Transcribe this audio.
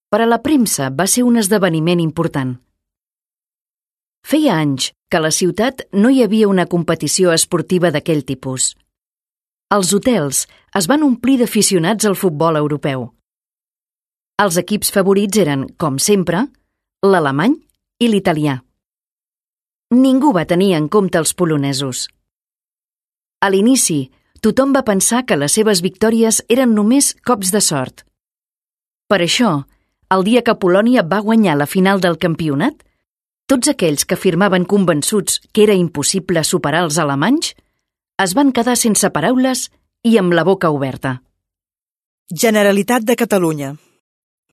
Per a la premsa va ser un esdeveniment important. Feia anys que a la ciutat no hi havia una competició esportiva d'aquell tipus. Els hotels es van omplir d'aficionats al futbol europeu. Els equips favorits eren, com sempre, l'alemany i l'italià. Ningú va tenir en compte els polonesos. A l'inici, tothom va pensar que les seves victòries eren només cops de sort. Per això, el dia que Polònia va guanyar la final del campionat, tots aquells que afirmaven convençuts que era impossible superar els alemanys es van quedar sense paraules i amb la boca oberta. Generalitat de Catalunya.